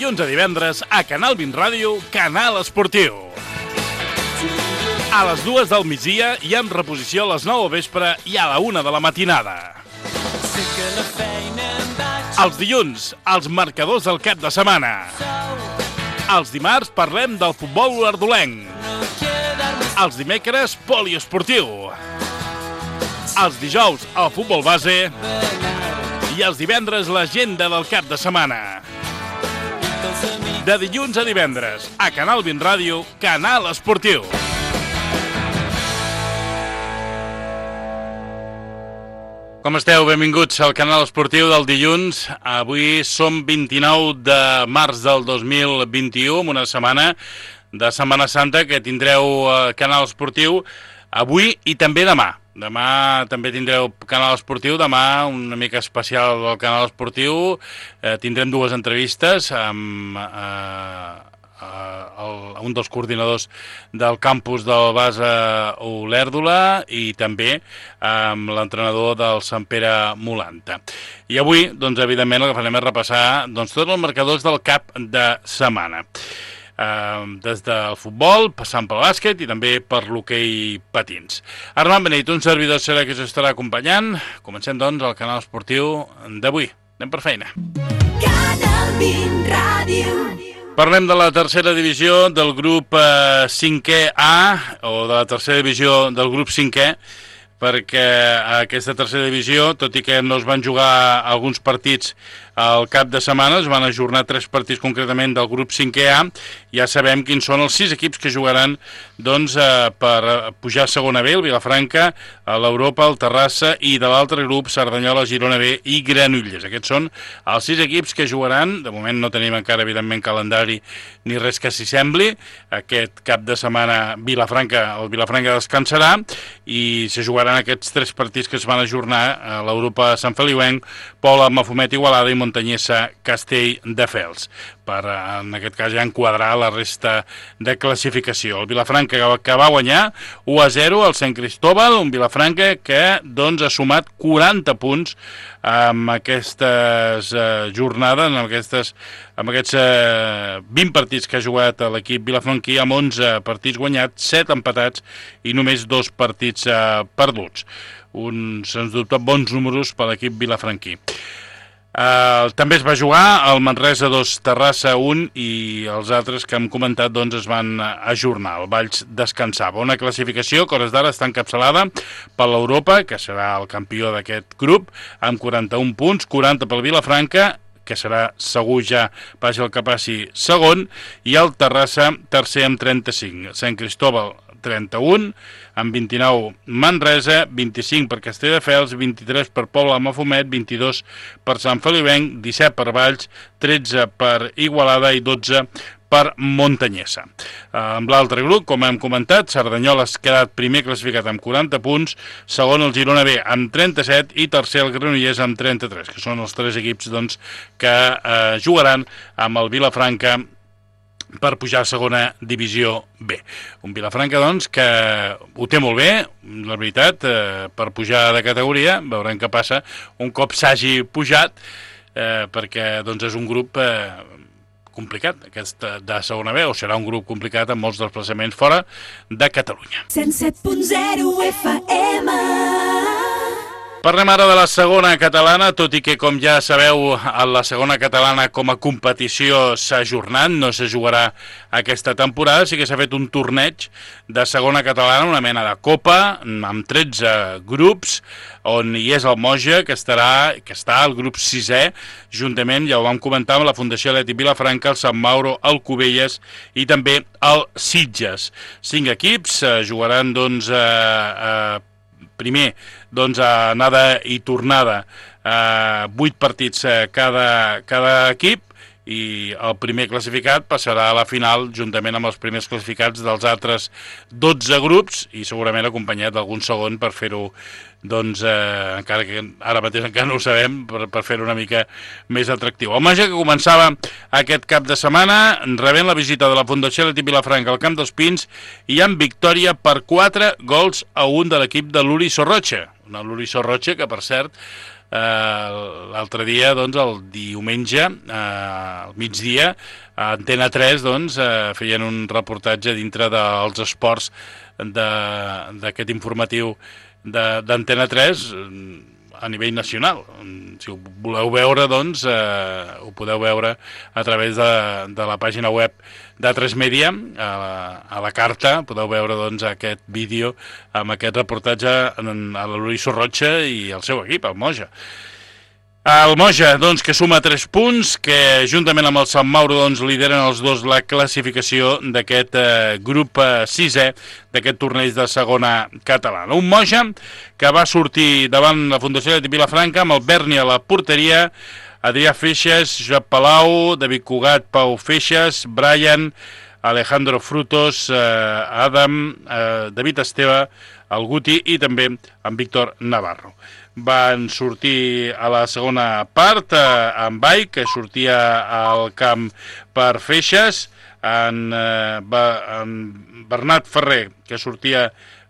dilluns a divendres a Canal 20 Ràdio, Canal Esportiu. A les 2 del migdia i en reposició a les 9 del vespre i a la 1 de la matinada. Els dilluns, els marcadors del cap de setmana. Els dimarts parlem del futbol olordolenc. Els dimecres, poliesportiu. Els dijous, el futbol base. I els divendres, l'agenda del cap de setmana. De dilluns a divendres, a Canal 20 Ràdio, Canal Esportiu. Com esteu? Benvinguts al Canal Esportiu del dilluns. Avui som 29 de març del 2021, una setmana de Setmana Santa que tindreu Canal Esportiu avui i també demà. Demà també tindreu Canal Esportiu, demà una mica especial del Canal Esportiu. Tindrem dues entrevistes amb un dels coordinadors del campus del Basa Olèrdola i també amb l'entrenador del Sant Pere Molanta. I avui, doncs, evidentment, el que farem és repassar tots els marcadors del cap de setmana. Des del futbol, passant pel bàsquet i també per l'hoquei patins. Armand Beneit, un servidor serà que us estarà acompanyant. Comencem, doncs, el Canal Esportiu d'avui. Anem per feina. Canal 20 Ràdio. Parlem de la tercera divisió del grup 5è A, o de la tercera divisió del grup 5è, perquè aquesta tercera divisió, tot i que no es van jugar alguns partits al cap de setmana, es van ajornar 3 partits concretament del grup 5è A. Ja sabem quins són els 6 equips que jugaran per pujar a segona B, el Vilafranca, l'Europa, el Terrassa i de l'altre grup Cerdanyola, Girona B i Granollers. Aquests són els 6 equips que jugaran. De moment no tenim encara, evidentment, calendari ni res que s'hi sembli. Aquest cap de setmana el Vilafranca descansarà i se jugaran aquests 3 partits que es van ajornar a l'Europa Sant Feliuenc, Pola, Mafumet, Igualada i Montanyessa, Castelldefels, per, en aquest cas, ja enquadrar la resta de classificació. El Vilafranca que va guanyar 1-0 al Sant Cristóbal, un Vilafranca que doncs ha sumat 40 punts amb aquestes jornades, amb aquests 20 partits que ha jugat l'equip vilafranquí, amb 11 partits guanyats, 7 empatats i només 2 partits perduts. Uns, sens dubte, bons números per l'equip vilafranquí. També es va jugar el Manresa 2, Terrassa 1 i els altres que hem comentat doncs es van ajornar. El Valls descansava. Una classificació que a hores d'ara està encapçalada per l'Europa, que serà el campió d'aquest grup, amb 41 punts, 40 pel Vilafranca, que serà segur ja, passi el que passi, segon, i el Terrassa tercer amb 35. Sant Cristóbal 31, amb 29 Manresa, 25 per Castelldefels, 23 per Pobla de Mafumet, 22 per Sant Feliuenc, 17 per Valls, 13 per Igualada i 12 per Montanyessa. Amb l'altre grup, com hem comentat, Cerdanyola ha quedat primer classificat amb 40 punts, segon el Girona B amb 37 i tercer el Granollers amb 33, que són els 3 equips doncs, que jugaran amb el Vilafranca per pujar a segona divisió B. Un Vilafranca, doncs, que ho té molt bé, la veritat, per pujar de categoria. Veurem què passa un cop s'hagi pujat, perquè doncs, és un grup complicat, aquest de segona B, o serà un grup complicat amb molts desplaçaments fora de Catalunya. 107.0 FM. Parlem ara de la segona catalana, tot i que, com ja sabeu, la segona catalana com a competició s'ha ajornat, no se jugarà aquesta temporada, sí que s'ha fet un torneig de segona catalana, una mena de copa, amb 13 grups, on hi és el Moja, que està al grup 6è, juntament, ja ho vam comentar, amb la Fundació Atlètic Vilafranca, el Sant Mauro, el Cubelles i també el Sitges. 5 equips jugaran, doncs, primer, doncs, anada i tornada, 8 partits cada equip, i el primer classificat passarà a la final juntament amb els primers classificats dels altres 12 grups i segurament acompanyat d'algun segon per fer-ho, doncs, encara que ara mateix encara no ho sabem, per fer-ho una mica més atractiu. El Moja, que començava aquest cap de setmana, rebent la visita de la Fundació Atlètic Vilafranca al Camp dels Pins i amb victòria per 4-1 de l'equip de l'Uri Sorrocha. Una l'Uri Sorrocha que, per cert, l'altre dia, doncs, el diumenge, al migdia, a Antena 3, doncs, feien un reportatge dintre dels esports d'aquest informatiu d'Antena 3 a nivell nacional. Si ho voleu veure, doncs, ho podeu veure a través de la pàgina web d'A3 Media, a la carta, podeu veure, doncs, aquest vídeo amb aquest reportatge a l'Uri Sorrocha i el seu equip, el Moja. El Moja, doncs, que suma 3 punts, que juntament amb el Sant Mauro, doncs, lideren els dos la classificació d'aquest grup 6è d'aquest torneig de segona catalana. Un Moja que va sortir davant la Fundació de Vilafranca amb el Berni a la porteria, Adrià Feixes, Josep Palau, David Cugat, Pau Feixes, Brian, Alejandro Frutos, Adam, David Esteve, el Guti i també en Víctor Navarro. Van sortir a la segona part en Bai, que sortia al camp per Feixes, en Bernat Ferrer, que sortia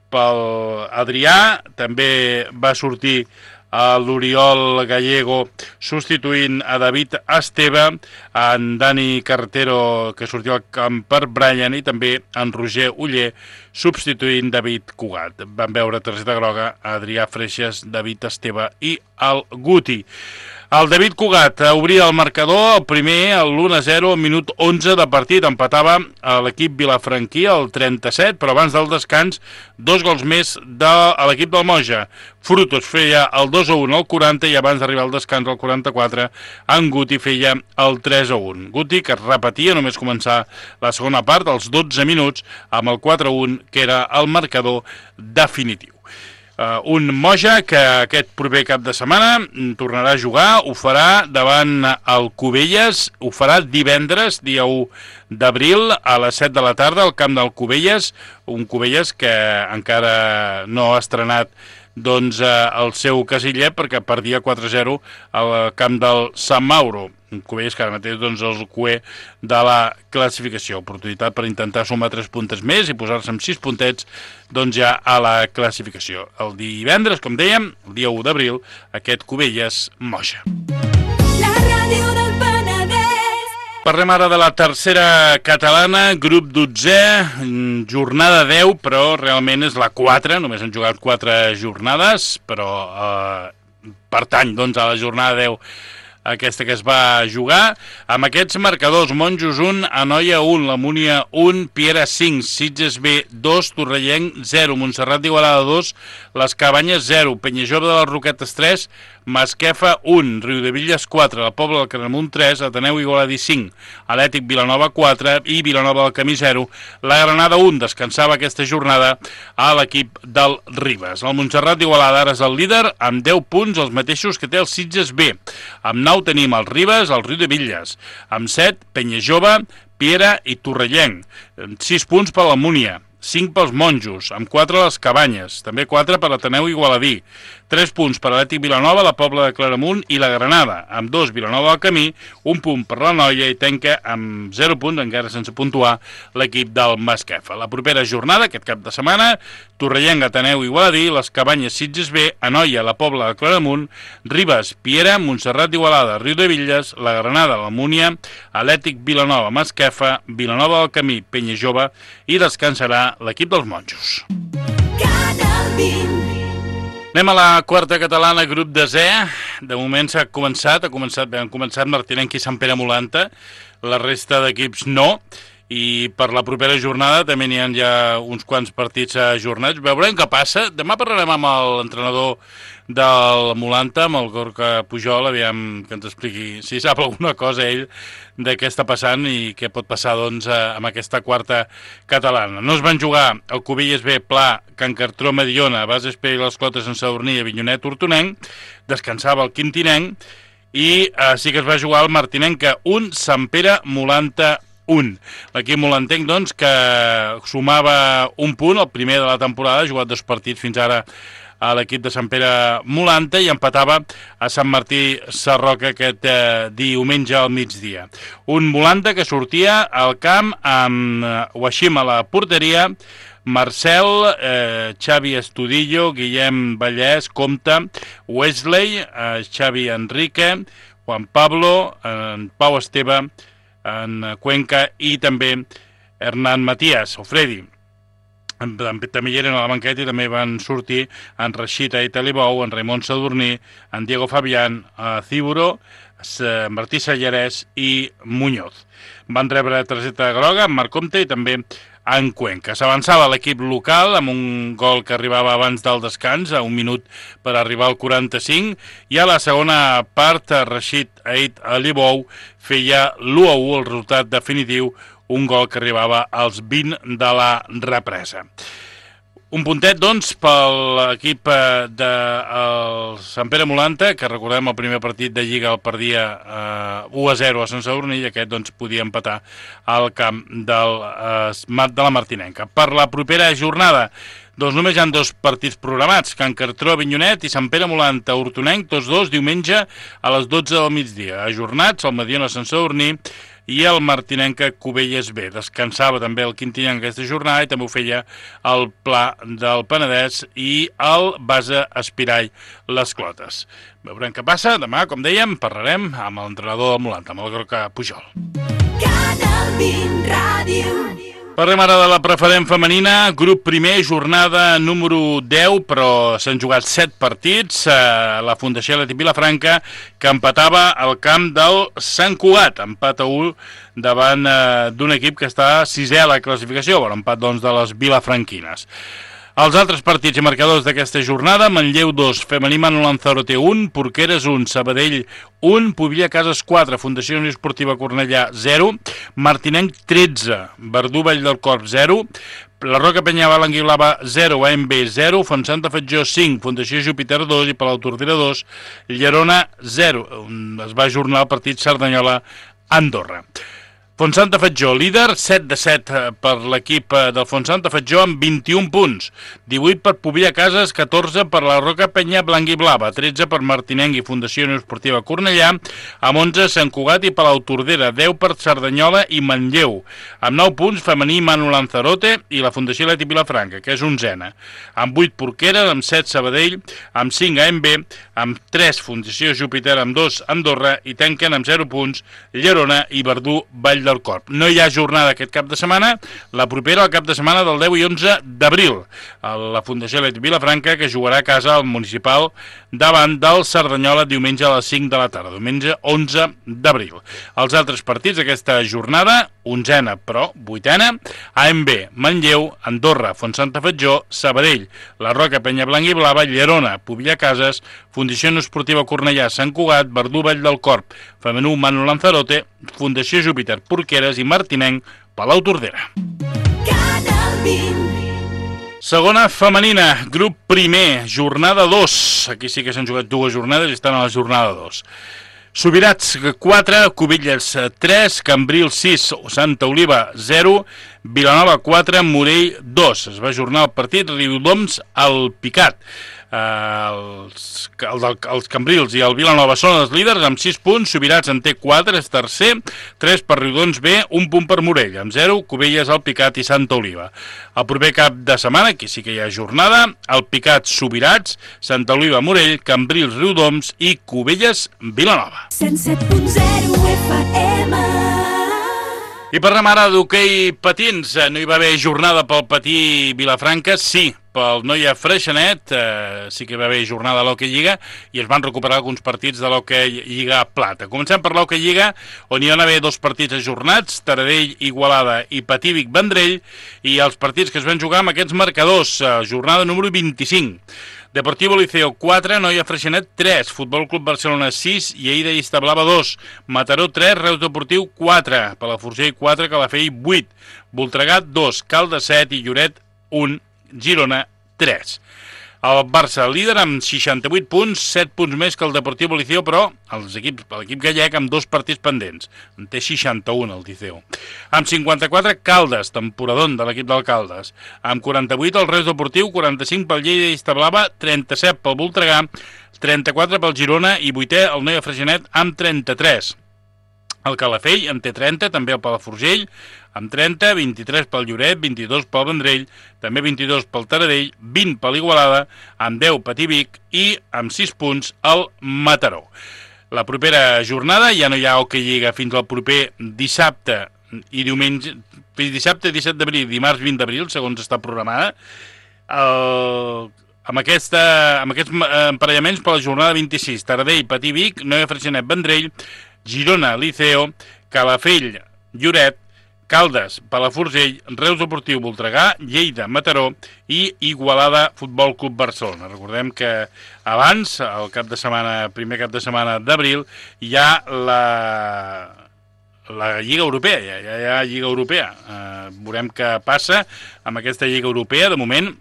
pel Adrià, també va sortir a l'Oriol Gallego substituint a David Esteve, en Dani Carretero, que sortia al camp per Brian, i també en Roger Uller substituint David Cugat. Van veure targeta groga a Adrià Freixas, David Esteve i el Guti. El David Cugat obria el marcador, el primer, l'1-0, al minut 11 de partit. Empatava a l'equip vilafranquí, el 37, però abans del descans, 2 gols més de l'equip del Moja. Frutos feia el 2-1 al 40 i abans d'arribar al descans al 44, en Guti feia el 3-1. Guti, que repetia només començar la segona part, als 12 minuts, amb el 4-1, que era el marcador definitiu. Un Moja que aquest proper cap de setmana tornarà a jugar, ho farà davant el Cubelles, ho farà divendres, dia 1 d'abril, a les 7 de la tarda, al camp del Cubelles, un Cubelles que encara no ha estrenat doncs, el seu casillet perquè perdia 4-0 al camp del Sant Mauro. Un Cubelles que ara mateix doncs, el cuer de la classificació. Oportunitat per intentar sumar 3 puntes més i posar-se amb 6 puntets doncs, ja a la classificació. El divendres, com dèiem, el dia 1 d'abril, aquest Cubelles Moja. La ràdio del Penedès. Parlem ara de la tercera catalana, grup 12è, jornada 10, però realment és la 4, només han jugat 4 jornades, però pertany doncs, a la jornada 10 aquesta que es va jugar, amb aquests marcadors: Monjos 1, Anoia 1, La Múnia 1, Piera 5, Sitges B 2, Torrellenc 0, Montserrat d'Igualada 2, Les Cabanyes 0, Penyajove de les Roquetes 3, Masquefa 1, Riudevilles 4, la Pobla del Claramunt 3, Ateneu Igualadí 5, Atlètic Vilanova 4 i Vilanova del Camí 0. La Granada 1 descansava aquesta jornada a l'equip del Ribes. El Montserrat d'Igualada ara és el líder amb 10 punts, els mateixos que té el Sitges B. Amb 9 tenim el Ribes, el Riudevilles. Amb 7, Penyajove, Piera i Torrellenc. 6 punts per la Múnia. 5 pels Monjos, amb 4 les Cabanyes, també 4 per l'Ateneu Igualadí, 3 punts per l'Atlètic Vilanova, la Pobla de Claramunt i la Granada, amb 2 Vilanova del Camí, 1 punt per la Noia i tanca amb 0 punts, encara sense puntuar, l'equip del Masquefa. La propera jornada, aquest cap de setmana, Torrellenc, Ateneu Igualadí, les Cabanyes, Sitges B, Anoia, la Pobla de Claramunt, Ribes, Piera, Montserrat d'Igualada, Riudevilles, la Granada, la Múnia, Atlètic Vilanova, Masquefa, Vilanova del Camí, Penyajove i descansarà l'equip dels Monjos. Anem a la quarta catalana, grup 10è. De moment han començat Martinenc i Sant Pere Molanta, la resta d'equips no, i per la propera jornada també n'hi ha ja uns quants partits ajornats. Veurem què passa. Demà parlarem amb l'entrenador del Molanta, amb el Gorka Pujol, aviam que ens expliqui si sap alguna cosa ell de què està passant i què pot passar doncs, amb aquesta quarta catalana. No es van jugar el Cubelles B, Pla, Can Cartró, Mediona, Bases P i les Clotes en Sadurní, Avinyonet, Hortonenc, descansava el Quintinenc i sí que es va jugar el Martinenc 1, Sant Pere Molanta 1. L'equip molantenc, doncs, que sumava un punt, el primer de la temporada, ha jugat 2 partits fins ara a l'equip de Sant Pere Molanta i empatava a Sant Martí Sarroca aquest diumenge al migdia. Un Molanta que sortia al camp amb Washim a la porteria, Marcel, Xavi Estudillo, Guillem Vallès, Comte, Wesley, Xavi Enrique, Juan Pablo, en Pau Esteve, en Cuenca i també Hernán Matías, o Freddy. També hi eren a la banqueta i també van sortir en Rashid Aitalibou, en Raimon Sadurní, en Diego Fabián, Ciburo, Martí Sallarès i Muñoz. Van rebre targeta groga en Marc Comte i també en Cuenca. S'avançava l'equip local amb un gol que arribava abans del descans, a un minut per arribar al 45, i a la segona part Rashid Aitalibou feia l'1-1, el resultat definitiu, un gol que arribava als 20 de la represa. Un puntet, doncs, per l'equip del Sant Pere Molanta, que recordem el primer partit de Lliga el perdia 1-0 a Sant Sadurní, i aquest doncs, podia empatar al camp de la Martinenca. Per la propera jornada, doncs només hi ha 2 partits programats, Can Cartró, Avinyonet i Sant Pere Molanta, Hortonenc, tots dos diumenge a les 12 del migdia. Ajornats, el Mediona Sant Sadurní i el Martinenca Cubelles B. Descansava també el Quintinenc aquesta jornada i també ho feia el Pla del Penedès i el Base Espirall Les Clotes. Veurem què passa. Demà, com dèiem, parlarem amb l'entrenador del Molanta, amb el Groca Pujol. Canal 20 Ràdio. Parlem ara de la preferent femenina, grup primer, jornada número 10, però s'han jugat 7 partits. La Fundació Leti Vilafranca, que empatava al camp del Sant Cugat, empat a 1 davant d'un equip que està 6è a la classificació, bon, empat doncs, de les vilafranquines. Els altres partits i marcadors d'aquesta jornada: Manlleu 2, Femení Manu Lanzarote 1, Porqueres 1, Sabadell 1, Pobilla Cases 4, Fundació Unió Esportiva Cornellà 0, Martinenc 13, Verdú Vall del Corp 0, la Roca Penyabal Anguilava 0, AMB 0, Fontsanta Fatjó 5, Fundació Júpiter 2 i Palautordera 2, Llerona 0. Es va ajornar el partit Cerdanyola-Andorra. Fontsanta Fatjó, líder, 7 de 7 per l'equip del Fontsanta Fatjó amb 21 punts, 18 per Pobilla Cases, 14 per la Roca Penya Blanc i Blava, 13 per Martinenc i Fundació Unió Esportiva Cornellà, amb 11 Sant Cugat i Palautordera, 10 per Cerdanyola i Manlleu, amb 9 punts Femení Manu Lanzarote i la Fundació Leti Vilafranca, que és 11a, amb 8 Porqueres, amb 7 Sabadell, amb 5 AMB, amb 3 Fundació Júpiter, amb 2 Andorra i tanquen amb 0 punts Llerona i Verdú Vall del Corp. No hi ha jornada aquest cap de setmana, la propera al cap de setmana del 10 i 11 d'abril. La Fundació Leti Vilafranca, que jugarà a casa al municipal davant del Cerdanyola diumenge a les 5 de la tarda, diumenge 11 d'abril. Els altres partits d'aquesta jornada: 11a, però 8a, AMB, Manlleu, Andorra, Fontsanta Fatjó, Sabadell, la Roca Penyablanc i Blava, Llerona, Pobilla Cases, Fundació Esportiva Cornellà, Sant Cugat, Verdú Vall del Corp, Femenú Manu Lanzarote, Fundació Júpiter, Porqueres i Martinenc, Palautordera. Canal 20. Segona femenina, grup primer, jornada 2. Aquí sí que s'han jugat 2 jornades i estan a la jornada 2. Subirats 4, Cubelles 3, Cambril 6, Santa Oliva 0, Vilanova 4, Morell 2. Es va ajornar el partit, Riudoms al Picat. Els Cambrils i el Vilanova són els líders amb 6 punts, Subirats en té 4, és tercer, 3 per Riudoms B, 1 punt per Morell, amb 0, Cubelles, el Picat i Santa Oliva. El proper cap de setmana, aquí sí que hi ha jornada, el Picat, Subirats, Santa Oliva, Morell, Cambrils, Riudoms i Cubelles, Vilanova. 107.0 FM. I parlem ara d'hoquei patins. No hi va haver jornada pel patí Vilafranca, sí, pel Noia Freixenet, sí que va haver jornada a l'Hockey Lliga i es van recuperar alguns partits de l'Hockey Lliga Plata. Comencem per l'Hockey Lliga, on hi van haver 2 partits ajornats, Taradell, Igualada i Patívic, Vendrell, i els partits que es van jugar amb aquests marcadors, jornada número 25. Deportivo Liceo 4, Noia Freixenet 3, Futbol Club Barcelona 6, Lleida i Establava 2, Mataró 3, Reus Deportiu 4, Palafrugell 4, Calafell 8, Voltregà 2, Caldes 7 i Lloret 1, Girona 3. El Barça líder amb 68 punts, 7 punts més que el Deportivo Liceo, però l'equip gallec amb 2 partits pendents. En té 61 el Liceo. Amb 54 Caldes, temporadón de l'equip del Caldes. Amb 48 el Reus Deportiu, 45 pel Lleida i Establava, 37 pel Voltregà, 34 pel Girona i 8è el Noia Freixenet amb 33. El Calafell en té 30, també el Palafrugell amb 30, 23 pel Lloret, 22 pel Vendrell, també 22 pel Taradell, 20 per l'Igualada, amb 10 Patí Vic i amb 6 punts el Mataró. La propera jornada ja no hi ha hoquei lliga fins al proper dissabte i diumenge, dissabte 17 d'abril, dimarts 20 d'abril, segons està programada, amb aquests emparellaments per la jornada 26, Taradell, Patí Vic, Noia Freixenet, Vendrell, Girona, Liceo, Calafell, Lloret, Caldes, Palafrugell, Reus Deportiu, Voltregà, Lleida, Mataró i Igualada Futbol Club Barcelona. Recordem que abans, el primer cap de setmana d'abril, hi ha la Lliga Europea, ja hi ha Lliga Europea. Veurem què passa amb aquesta Lliga Europea. De moment,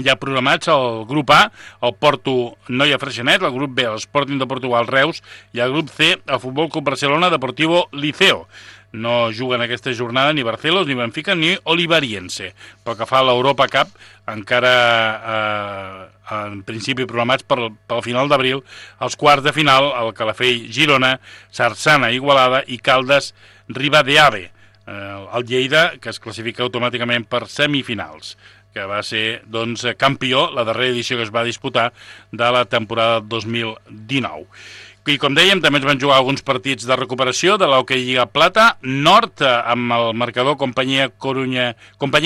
ja programats el grup A, el Porto Noia Freixenet, el grup B, l'Sporting de Portugal Reus, i el grup C, el Futbol Club Barcelona Deportivo Liceo. No juguen aquesta jornada ni Barcelos, ni Benfica, ni Olivariense. Pel que fa a l'Europa Cup, encara en principi programats pel final d'abril, els quarts de final, el Calafell Girona, Sarsana Igualada i Caldes Ribadejave. El Lleida, que es classifica automàticament per semifinals, que va ser doncs, campió la darrera edició que es va disputar de la temporada 2019. I com dèiem, també es van jugar alguns partits de recuperació de l'Hockey Lliga Plata Nord, amb el marcador Companyia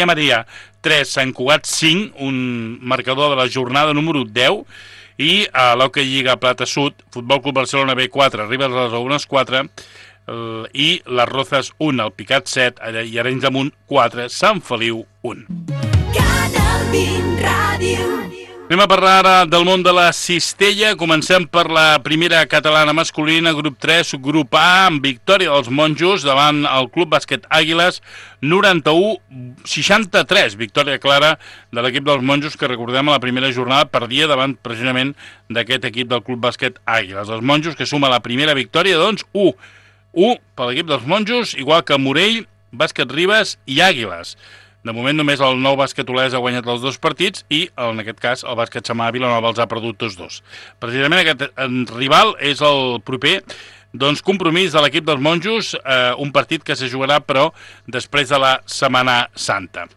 Maria 3, Sant Cugat 5, un marcador de la jornada número 10, i a l'Hockey Lliga Plata Sud, Futbol Club Barcelona B4, Ribes de les Aunes 4, i les Rozas 1, el Picat 7, i Arenys de Munt 4, Sant Feliu 1. Canal 20 Ràdio. Anem a parlar ara del món de la cistella. Comencem per la primera catalana masculina, grup 3, subgrup A, amb victòria dels monjos davant el Club Bàsquet Àguiles, 91-63. Victòria clara de l'equip dels monjos, que recordem a la primera jornada perdia davant precisament d'aquest equip del Club Bàsquet Àguiles. Els monjos que suma la primera victòria, doncs, 1 per l'equip dels monjos, igual que Morell, Bàsquet Ribes i Àguiles. De moment només el Nou Bàsquet Olesa ha guanyat els 2 partits i, en aquest cas, el Bàsquet Samà Vilanova els ha perdut tots 2. Precisament aquest rival és el proper compromís de l'equip dels monjos, un partit que se jugarà, però, després de la Setmana Santa.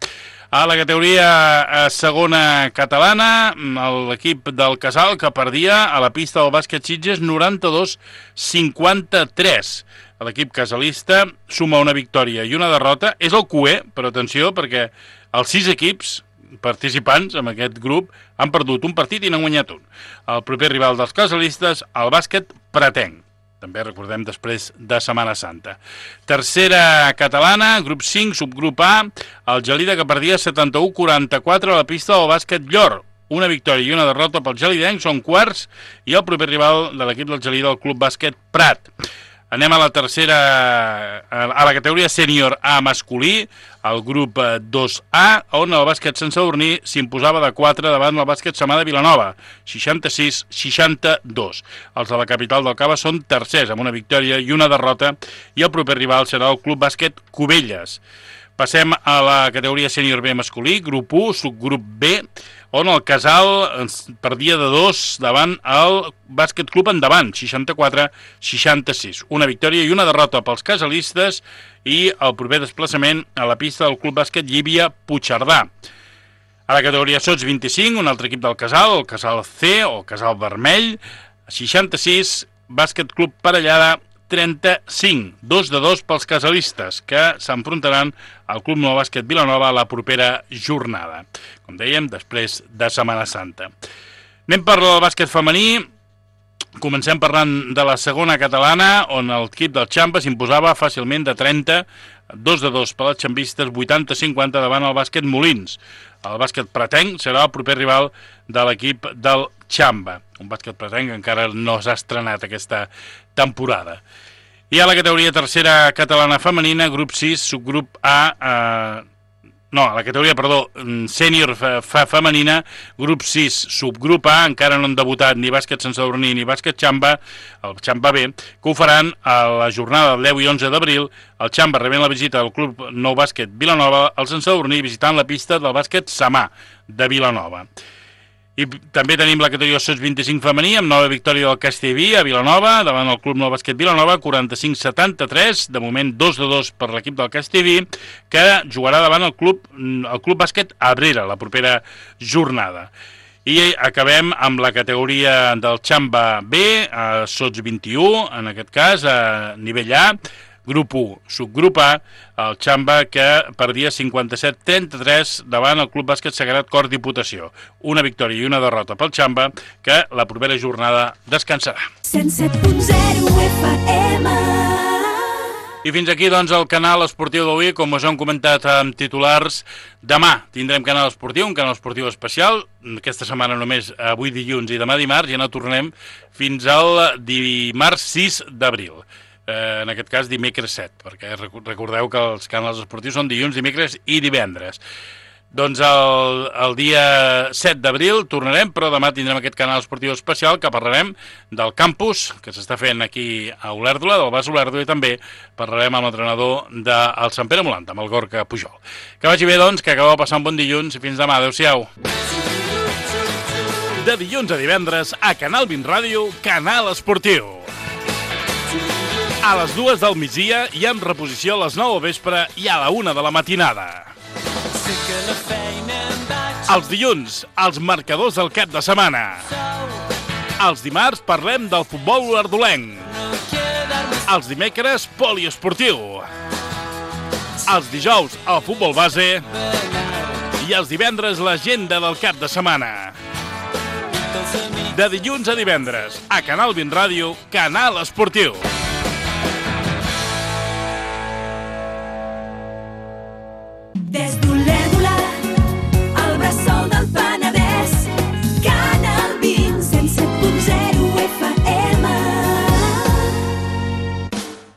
A la categoria segona catalana, l'equip del Casal, que perdia a la pista del Bàsquet Sitges 92-53. L'equip casalista suma una victòria i una derrota. És el QE, però atenció, perquè els 6 equips participants en aquest grup han perdut un partit i n'han guanyat un. El proper rival dels casalistes, el Bàsquet Pretenc. També recordem després de Setmana Santa. Tercera catalana, grup 5, subgrup A, el Gelida, que perdia 71-44 a la pista del Bàsquet Llor. Una victòria i una derrota pel gelidenc, són quarts, i el proper rival de l'equip del Gelida, el Club Bàsquet Prat. Anem a la categoria sènior A masculí, el grup 2A, on el bàsquet Sant Sadurní s'imposava de 4 davant el bàsquet Samà de Vilanova, 66-62. Els de la capital del Cava són tercers, amb una victòria i una derrota, i el proper rival serà el Club Bàsquet Cubelles. Passem a la categoria sènior B masculí, grup 1, subgrup B, on el Casal perdia de 2 davant el Bàsquet Club Endavant, 64-66. Una victòria i una derrota pels casalistes i el proper desplaçament a la pista del Club Bàsquet Llívia Puigcerdà. A la categoria Sots 25, un altre equip del Casal, el Casal C o Casal Vermell, 66, Bàsquet Club Parellada 35, 2-2 pels casalistes, que s'enfrontaran al Club Nou Bàsquet Vilanova a la propera jornada. Com dèiem, després de Setmana Santa. Anem per el bàsquet femení. Comencem parlant de la segona catalana, on l'equip del Xampa s'imposava fàcilment de 30, 2-2 per les xambistes, 80-50 davant el bàsquet Molins. El bàsquet Pretenc serà el proper rival de l'equip del Xamba. Un bàsquet Pretenc que encara no s'ha estrenat aquesta temporada. I a la categoria tercera catalana femenina, grup 6, subgrup A... la categoria, sènior femenina, grup 6, subgrup A, encara no han debutat ni bàsquet Sant Sadurní ni bàsquet Xamba, el Xamba B, que ho faran a la jornada del 10 i 11 d'abril, el Xamba rebent la visita del Club Nou Bàsquet Vilanova, el Sant Sadurní visitant la pista del bàsquet Samà de Vilanova. I també tenim la categoria Sots-25 femení amb nova victòria del Castellví a Vilanova, davant el Club Nou Bàsquet Vilanova, 45-73, de moment 2-2 per l'equip del Castellví, que jugarà davant el Club Bàsquet Abrera la propera jornada. I acabem amb la categoria del Xamba B, Sots-21, en aquest cas, a nivell A, grup 1, subgrup A, el Xamba que perdia 57-33 davant el Club Bàsquet Sagrat Cor Diputació. Una victòria i una derrota pel Xamba que la propera jornada descansarà. 107.0 FM. I fins aquí, doncs, el canal esportiu d'avui. Com us hem comentat amb titulars, demà tindrem canal esportiu, un canal esportiu especial. Aquesta setmana només avui dilluns i demà dimarts, i no tornem fins al dimarts 6 d'abril. En aquest cas dimecres 7, perquè recordeu que els canals esportius són dilluns, dimecres i divendres. Doncs el dia 7 d'abril tornarem, però demà tindrem aquest canal esportiu especial que parlarem del campus que s'està fent aquí a Olèrdola, del Bas Olèrdola, i també parlarem amb l'entrenador del Sant Pere Molant, amb el Gorka Pujol. Que vagi bé, doncs, que acabeu de passar un bon dilluns i fins demà. Adéu-siau. De dilluns a divendres a Canal 20 Ràdio, Canal Esportiu. A les 2 del migdia i amb reposició a les 9 del vespre i a la 1 de la matinada. Els dilluns, els marcadors del cap de setmana. Els dimarts parlem del futbol olèrdolenc. Els dimecres, poliesportiu. Els dijous, el futbol base. I els divendres, l'agenda del cap de setmana. De dilluns a divendres, a Canal 20 Ràdio, Canal Esportiu.